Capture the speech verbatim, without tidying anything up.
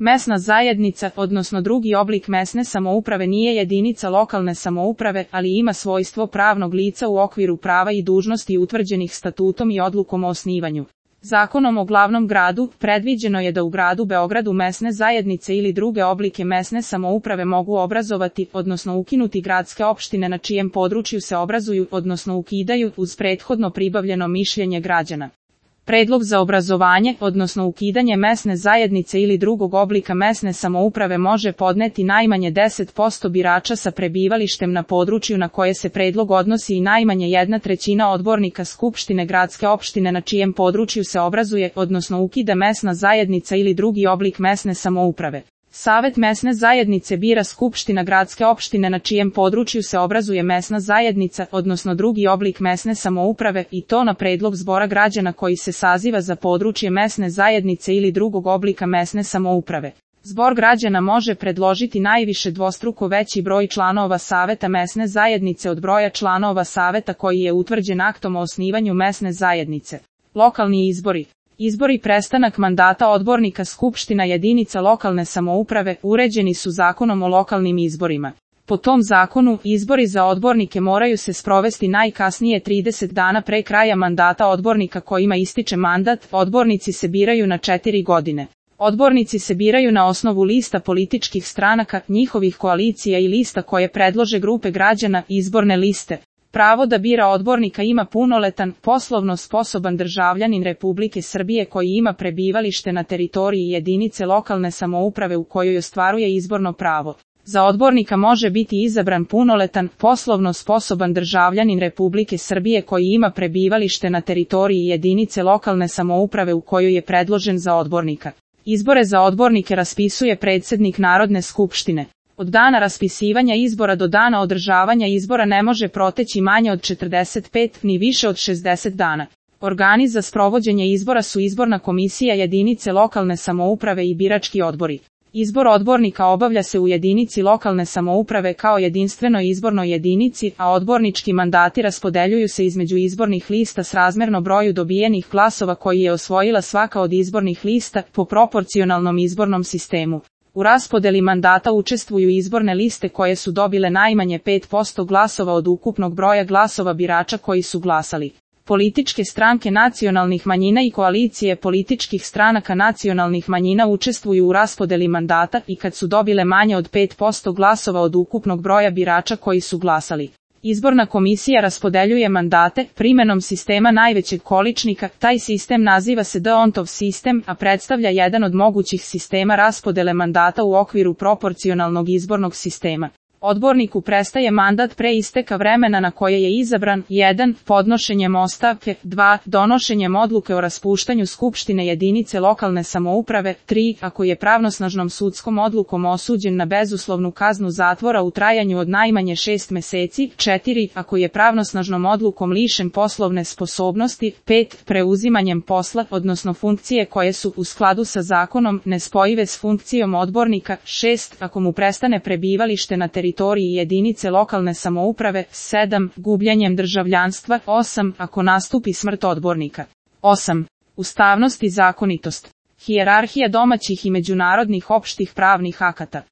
Mesna zajednica, odnosno drugi oblik mesne samouprave nije jedinica lokalne samouprave, ali ima svojstvo pravnog lica u okviru prava i dužnosti utvrđenih statutom i odlukom o osnivanju. Zakonom o glavnom gradu predviđeno je da u gradu Beogradu mesne zajednice ili druge oblike mesne samouprave mogu obrazovati, odnosno ukinuti gradske opštine na čijem području se obrazuju, odnosno ukidaju, uz prethodno pribavljeno mišljenje građana. Predlog za obrazovanje, odnosno ukidanje mesne zajednice ili drugog oblika mesne samouprave može podneti najmanje deset posto birača sa prebivalištem na području na koje se predlog odnosi i najmanje jedna trećina odbornika Skupštine gradske opštine na čijem području se obrazuje, odnosno ukida mesna zajednica ili drugi oblik mesne samouprave. Savet mesne zajednice bira Skupština gradske opštine na čijem području se obrazuje mesna zajednica, odnosno drugi oblik mesne samouprave, i to na predlog zbora građana koji se saziva za područje mesne zajednice ili drugog oblika mesne samouprave. Zbor građana može predložiti najviše dvostruko veći broj članova saveta mesne zajednice od broja članova saveta koji je utvrđen aktom o osnivanju mesne zajednice. Lokalni izbori. Izbori prestanak mandata odbornika Skupština jedinica lokalne samouprave uređeni su Zakonom o lokalnim izborima. Po tom zakonu, izbori za odbornike moraju se sprovesti najkasnije trideset dana pre kraja mandata odbornika kojima ističe mandat. Odbornici se biraju na četiri godine. Odbornici se biraju na osnovu lista političkih stranaka, njihovih koalicija i lista koje predlože grupe građana, izborne liste. Pravo da bira odbornika ima punoletan, poslovno sposoban državljanin Republike Srbije koji ima prebivalište na teritoriji jedinice lokalne samouprave u kojoj ostvaruje izborno pravo. Za odbornika može biti izabran punoletan, poslovno sposoban državljanin Republike Srbije koji ima prebivalište na teritoriji jedinice lokalne samouprave u kojoj je predložen za odbornika. Izbore za odbornike raspisuje predsednik Narodne skupštine. Od dana raspisivanja izbora do dana održavanja izbora ne može proteći manje od četrdeset pet ni više od šezdeset dana. Organi za sprovođenje izbora su izborna komisija jedinice lokalne samouprave i birački odbori. Izbor odbornika obavlja se u jedinici lokalne samouprave kao jedinstvenoj izbornoj jedinici, a odbornički mandati raspodeljuju se između izbornih lista srazmerno broju dobijenih glasova koji je osvojila svaka od izbornih lista po proporcionalnom izbornom sistemu. U raspodeli mandata učestvuju izborne liste koje su dobile najmanje pet posto glasova od ukupnog broja glasova birača koji su glasali. Političke stranke nacionalnih manjina i koalicije političkih stranaka nacionalnih manjina učestvuju u raspodeli mandata i kad su dobile manje od pet posto glasova od ukupnog broja birača koji su glasali. Izborna komisija raspodeljuje mandate primenom sistema najvećeg količnika. Taj sistem naziva se D'Hondtov sistem, a predstavlja jedan od mogućih sistema raspodele mandata u okviru proporcionalnog izbornog sistema. Odborniku prestaje mandat pre isteka vremena na koje je izabran. jedan Podnošenjem ostavke. dva Donošenjem odluke o raspuštanju Skupštine jedinice lokalne samouprave. tri Ako je pravnosnažnom sudskom odlukom osuđen na bezuslovnu kaznu zatvora u trajanju od najmanje šest meseci. četiri Ako je pravnosnažnom odlukom lišen poslovne sposobnosti. pet Preuzimanjem posla, odnosno funkcije koje su u skladu sa zakonom nespojive s funkcijom odbornika. šest Ako mu prestane prebivalište na teritoriji teritoriji jedinice lokalne samouprave. sedam Gubljenjem državljanstva. osam Ako nastupi smrt odbornika. osam Ustavnost i zakonitost. Hijerarhija domaćih i međunarodnih opštih pravnih akata.